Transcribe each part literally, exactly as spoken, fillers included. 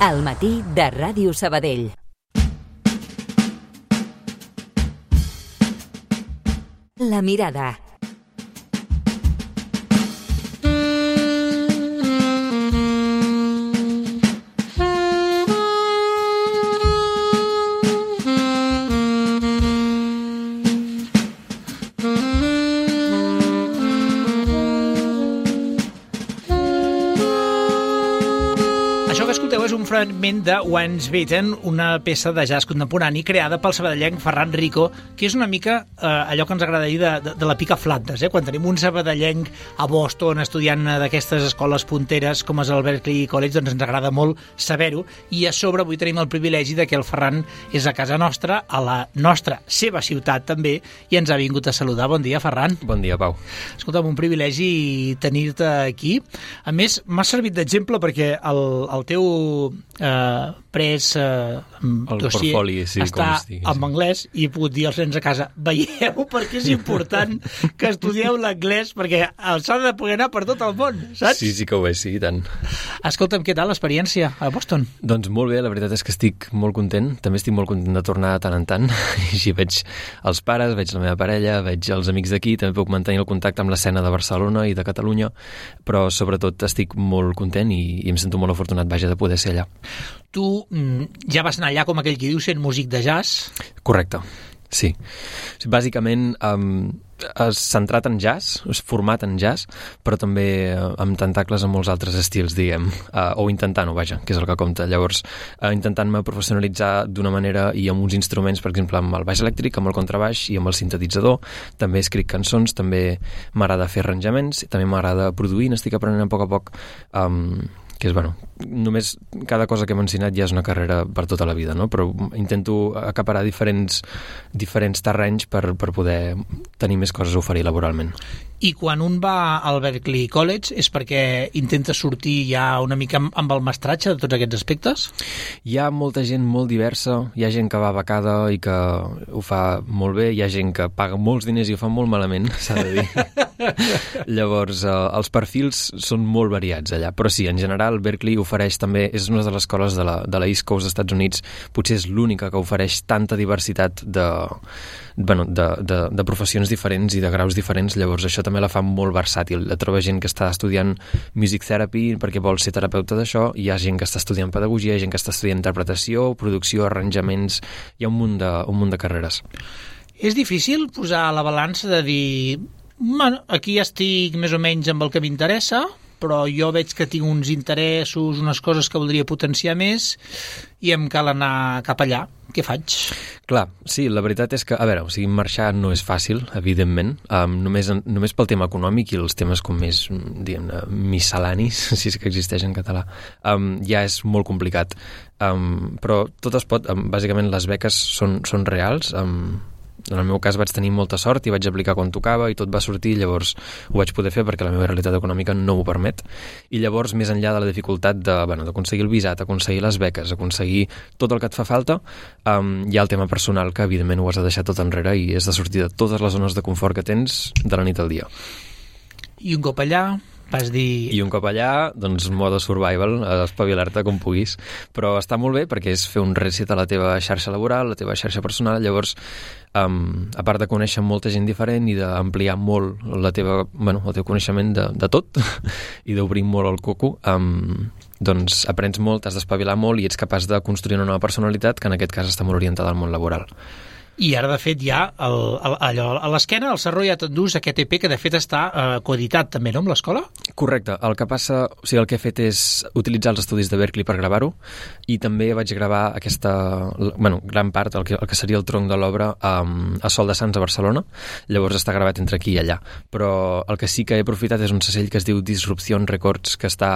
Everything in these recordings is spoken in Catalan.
Al matí de Ràdio Sabadell. La mirada. És un fragment de Once Bitten, una peça de jazz contemporani creada pel sabadellenc Ferran Rico, que és una mica eh, allò que ens agrada dir de, de, de la pica Flandes, eh? Quan tenim un sabadellenc a Boston estudiant d'aquestes escoles punteres com és el Berklee College, doncs ens agrada molt saber-ho, i a sobre avui tenim el privilegi de que el Ferran és a casa nostra, a la nostra, seva ciutat també, i ens ha vingut a saludar. Bon dia, Ferran. Bon dia, Pau. Escolta'm, un privilegi tenir-te aquí. A més, m'ha servit d'exemple perquè el, el teu Uh, pres uh, el dossier portfoli, sí, està en anglès i he pogut dir als nens a casa, veieu perquè és important que estudieu l'anglès perquè s'ha de poder anar per tot el món, saps? Sí, sí que ho és, sí, i tant. Escolta'm, què tal l'experiència a Boston? Doncs molt bé, la veritat és que estic molt content, també estic molt content de tornar de tant en tant, i així veig els pares, veig la meva parella, veig els amics d'aquí, també puc mantenir el contacte amb l'escena de Barcelona i de Catalunya, però sobretot estic molt content i, i em sento molt afortunat, vaja, de poder ser allà. Tu mm, ja vas anar allà, com aquell qui diu, sent músic de jazz? Correcte, sí. Bàsicament, um, és centrat en jazz, és format en jazz, però també uh, amb tentacles en molts altres estils, diguem, uh, o intentant-ho, vaja, que és el que compta. Llavors, uh, intentant-me professionalitzar d'una manera i amb uns instruments, per exemple, amb el baix elèctric, amb el contrabaix i amb el sintetitzador. També escric cançons, també m'agrada fer arranjaments, també m'agrada produir, n'estic aprenent a poc a poc, um, que és, bueno, només cada cosa que hem ensenyat ja és una carrera per tota la vida, no? Però intento acaparar diferents, diferents terrenys per, per poder tenir més coses a oferir laboralment. I quan un va al Berklee College és perquè intenta sortir ja una mica amb el mestratge de tots aquests aspectes? Hi ha molta gent molt diversa, hi ha gent que va becada i que ho fa molt bé, hi ha gent que paga molts diners i ho fa molt malament, s'ha de dir. Llavors, eh, els perfils són molt variats allà, però sí, en general Berklee ofereix també, és una de les escoles de la, de la East Coast dels Estats Units, potser és l'única que ofereix tanta diversitat de, bueno, de, de, de professions diferents i de graus diferents, llavors això també la fa molt versàtil. La troba gent que està estudiant music therapy perquè vol ser terapeuta d'això, hi ha gent que està estudiant pedagogia, gent que està estudiant interpretació, producció, arranjaments, hi ha un munt de, un munt de carreres. És difícil posar a la balança de dir, bueno, aquí estic més o menys amb el que m'interessa, però jo veig que tinc uns interessos, unes coses que voldria potenciar més i em cal anar cap allà. Què faig? Clar, sí, la veritat és que, a veure, o sigui, marxar no és fàcil, evidentment, um, només, només pel tema econòmic i els temes com més, diguem-ne, miscel·lanis, si és que existeix en català, um, ja és molt complicat. Um, però tot es pot, um, bàsicament les beques són, són reals, um, en el meu cas vaig tenir molta sort i vaig aplicar quan tocava i tot va sortir, llavors ho vaig poder fer perquè la meva realitat econòmica no m'ho permet. I llavors, més enllà de la dificultat de, bueno, d'aconseguir el visat, aconseguir les beques, aconseguir tot el que et fa falta, um, hi ha el tema personal que evidentment ho has de deixar tot enrere i és de sortir de totes les zones de confort que tens de la nit al dia. I un cop allà vas dir... I un cop allà, doncs, modo survival, espavilar-te com puguis. Però està molt bé perquè és fer un reset a la teva xarxa laboral, la teva xarxa personal, llavors, um, a part de conèixer molta gent diferent i d'ampliar molt la teva, bueno, el teu coneixement de, de tot i d'obrir molt el coco, um, doncs aprens molt, has d'espavilar molt i ets capaç de construir una nova personalitat que en aquest cas està molt orientada al món laboral. I ara, de fet, ja el, el, allò, a l'esquena, el Sarro ja t'endús aquest E P que, de fet, està eh, coeditat també, no?, amb l'escola? Correcte. El que passa, o sigui, el que he fet és utilitzar els estudis de Berklee per gravar-ho i també vaig gravar aquesta, bueno, gran part, el que, el que seria el tronc de l'obra um, a Sol de Sants a Barcelona. Llavors està gravat entre aquí i allà. Però el que sí que he aprofitat és un segell que es diu Disruption Records, que està...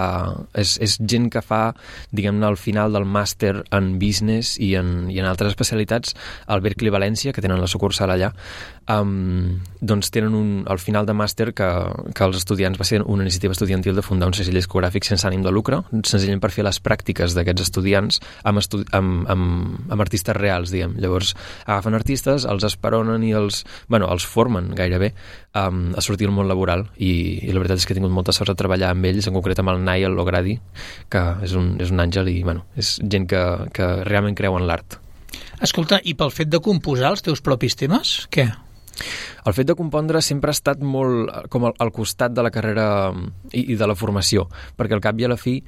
És, és gent que fa, diguem-ne, al final del màster en business i en, i en altres especialitats al Berklee València València, que tenen la sucursal allà, um, doncs tenen un, al final de màster que, que els estudiants va ser una iniciativa estudiantil de fundar un segell discogràfic sense ànim de lucre, senzillament per fer les pràctiques d'aquests estudiants amb, estu amb, amb, amb artistes reals, diguem. Llavors agafen artistes, els esperonen i els, bueno, els formen gairebé um, a sortir al món laboral i, i la veritat és que he tingut molta sort de treballar amb ells, en concret amb el Nayel Logradi, que és un, és un àngel i bueno, és gent que, que realment creu en l'art. Escolta, i pel fet de composar els teus propis temes, què? El fet de compondre sempre ha estat molt com al, al costat de la carrera i, i de la formació, perquè al cap i a la fi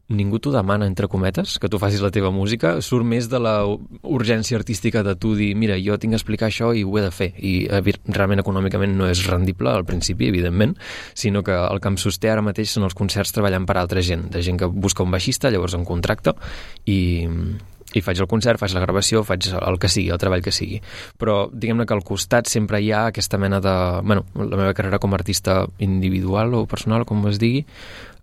ningú t'ho demana, entre cometes, que tu facis la teva música, surt més de la urgència artística de tu dir, mira, jo tinc que explicar això i ho he de fer, i realment econòmicament no és rendible al principi, evidentment, sinó que el que em sosté ara mateix són els concerts treballant per altra gent, de gent que busca un baixista, llavors em contracta i... i faig el concert, faig la gravació, faig el que sigui, el treball que sigui. Però diguem-ne que al costat sempre hi ha aquesta mena de... Bueno, la meva carrera com a artista individual o personal, com es digui,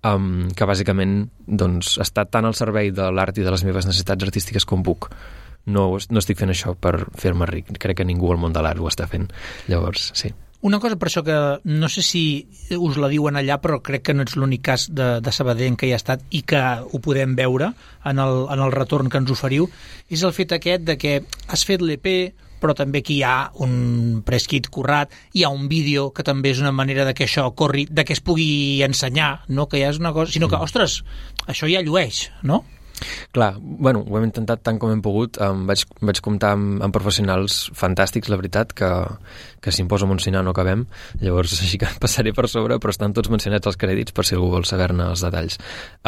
um, que bàsicament doncs, està tan al servei de l'art i de les meves necessitats artístiques com puc. No, no estic fent això per fer-me ric. Crec que ningú al món de l'art ho està fent. Llavors, sí. Una cosa per això que no sé si us la diuen allà, però crec que no ets l'únic cas de, de Sabadell en què hi ha estat i que ho podem veure en el, en el retorn que ens oferiu, és el fet aquest de que has fet l'E P, però també que hi ha un press kit currat, hi ha un vídeo que també és una manera de que això corri, de que es pugui ensenyar, no que ja és una cosa, sinó que, ostres, això ja llueix, no? Clar, bueno, ho hem intentat tant com hem pogut. Um, vaig, vaig comptar amb, amb professionals fantàstics, la veritat, que, que si em poso a mencionar no acabem, llavors així que passaré per sobre, però estan tots mencionats als crèdits per si algú vol saber-ne els detalls.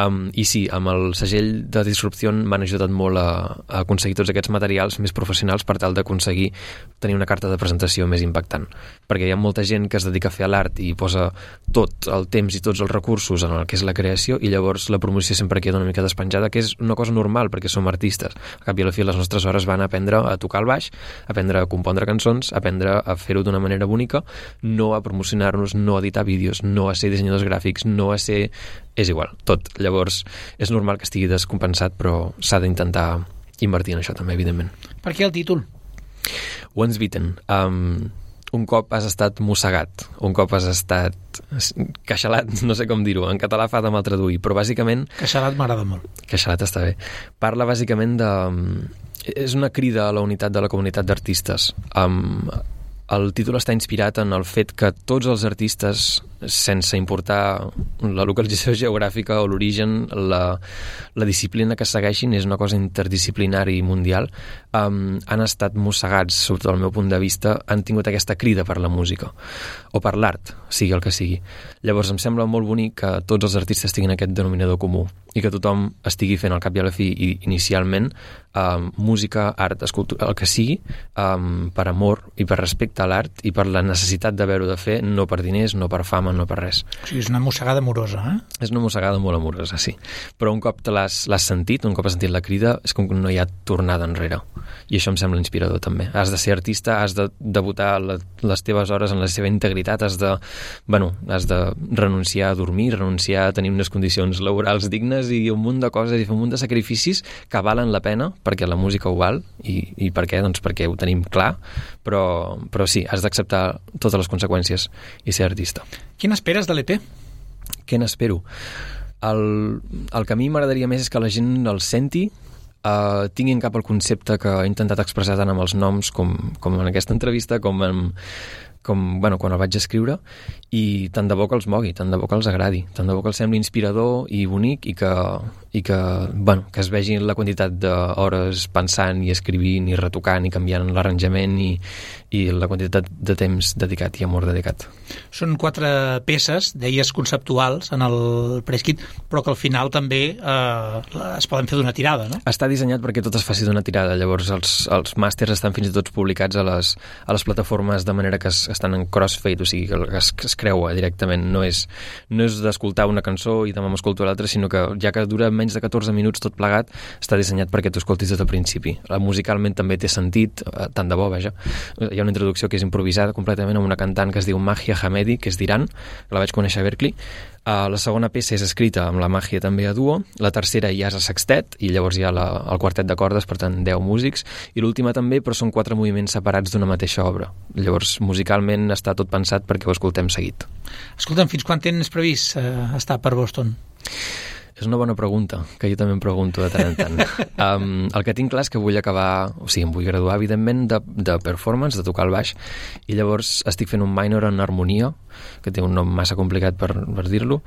Um, I sí, amb el segell de Disrupció m'han ajudat molt a, a aconseguir tots aquests materials més professionals per tal d'aconseguir tenir una carta de presentació més impactant. Perquè hi ha molta gent que es dedica a fer l'art i posa tot el temps i tots els recursos en el que és la creació i llavors la promoció sempre queda una mica despenjada, que és una cosa normal perquè som artistes. A cap i a la fi les nostres hores van a aprendre a tocar el baix, a aprendre a compondre cançons, a aprendre a fer-ho d'una manera bonica, no a promocionar-nos, no a editar vídeos, no a ser dissenyadors gràfics, no a ser... És igual, tot. Llavors, és normal que estigui descompensat, però s'ha d'intentar invertir en això també, evidentment. Per què el títol? Once Bitten. Um, un cop has estat mossegat, un cop has estat queixalat, no sé com dir-ho, en català fa de mal traduir, però bàsicament... Queixalat m'agrada molt. Queixalat està bé. Parla bàsicament de... És una crida a la unitat de la comunitat d'artistes. Um, el títol està inspirat en el fet que tots els artistes, sense importar la localització geogràfica o l'origen, la, la disciplina que segueixin és una cosa interdisciplinària i mundial, um, han estat mossegats, sota el meu punt de vista, han tingut aquesta crida per la música o per l'art, sigui el que sigui. Llavors em sembla molt bonic que tots els artistes tinguin aquest denominador comú i que tothom estigui fent al cap i a la fi i inicialment um, música, art, escultura, el que sigui, um, per amor i per respecte a l'art i per la necessitat d'haver-ho de fer, no per diners, no per fama, no per res. O sigui, és una mossegada amorosa, eh? És una mossegada molt amorosa, sí. Però un cop te l'has sentit, un cop has sentit la crida, és com que no hi ha tornada enrere. I això em sembla inspirador, també. Has de ser artista, has de devotar la, les teves hores en la seva integritat, has de, bueno, has de renunciar a dormir, renunciar a tenir unes condicions laborals dignes i un munt de coses i fer un munt de sacrificis que valen la pena, perquè la música ho val, i, i per què? Doncs perquè ho tenim clar, però, però sí, has d'acceptar totes les conseqüències i ser artista. Què n'esperes de l'E P? Què n'espero? El, el que a mi m'agradaria més és que la gent el senti, uh, tinguin cap al concepte que he intentat expressar tant amb els noms com, com en aquesta entrevista, com, en, com bueno, quan el vaig escriure, i tant de bo que els mogui, tant de bo que els agradi, tant de bo que els sembli inspirador i bonic i que, i que, bueno, que es vegi la quantitat d'hores pensant i escrivint i retocant i canviant l'arranjament i, i la quantitat de temps dedicat i amor dedicat. Són quatre peces, deies conceptuals en el press kit, però que al final també eh, es poden fer d'una tirada, no? Està dissenyat perquè tot es faci d'una tirada, llavors els, els màsters estan fins i tot publicats a les, a les plataformes de manera que es, estan en crossfade, o sigui que es, que es creua directament, no és, no és d'escoltar una cançó i demà m'escolto l'altra, sinó que ja que dura menys de catorze minuts tot plegat, està dissenyat perquè tu escoltis des del principi. Musicalment també té sentit, eh, tant de bo, vaja. Hi ha una introducció que és improvisada completament amb una cantant que es diu Mahia Hamedi, que és d'Iran, que la vaig conèixer a Berkeley. Uh, la segona peça és escrita amb la Mahia també a duo, la tercera ja és a sextet, i llavors hi ha la, el quartet de cordes, per tant, deu músics, i l'última també, però són quatre moviments separats d'una mateixa obra. Llavors, musicalment està tot pensat perquè ho escoltem seguit. Escolta'm, fins quan tens previst uh, estar per Boston? És una bona pregunta, que jo també em pregunto de tant en tant. Um, el que tinc clar és que vull acabar, o sigui, em vull graduar, evidentment, de, de performance, de tocar el baix, i llavors estic fent un minor en harmonia, que té un nom massa complicat per, per dir-lo,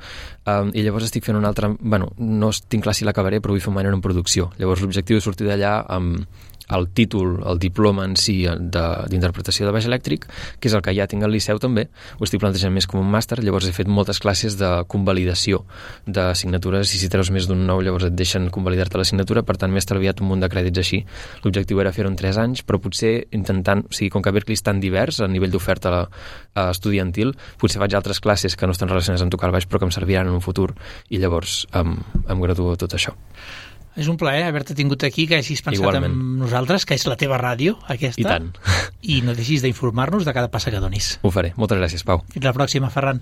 um, i llavors estic fent un altre... Bueno, no tinc clar si l'acabaré, però vull fer un minor en producció. Llavors l'objectiu és sortir d'allà amb el títol, el diploma en si d'interpretació de, de baix elèctric, que és el que ja tinc al Liceu també, ho estic plantejant més com un màster, llavors he fet moltes classes de convalidació d'assignatures, i si treus més d'un nou llavors et deixen convalidar-te l'assignatura, per tant m'he estalviat un munt de crèdits així. L'objectiu era fer-ho en tres anys, però potser intentant, o sigui, com que Berkeley és tan divers a nivell d'oferta estudiantil, potser faig altres classes que no estan relacionades amb tocar el baix però que em serviran en un futur, i llavors em, em graduo tot això. És un plaer haver-te tingut aquí, que hagis pensat Igualment. en nosaltres, que és la teva ràdio, aquesta. I tant. I no deixis d'informar-nos de cada passa que donis. Ho faré. Moltes gràcies, Pau. Fins la pròxima, Ferran.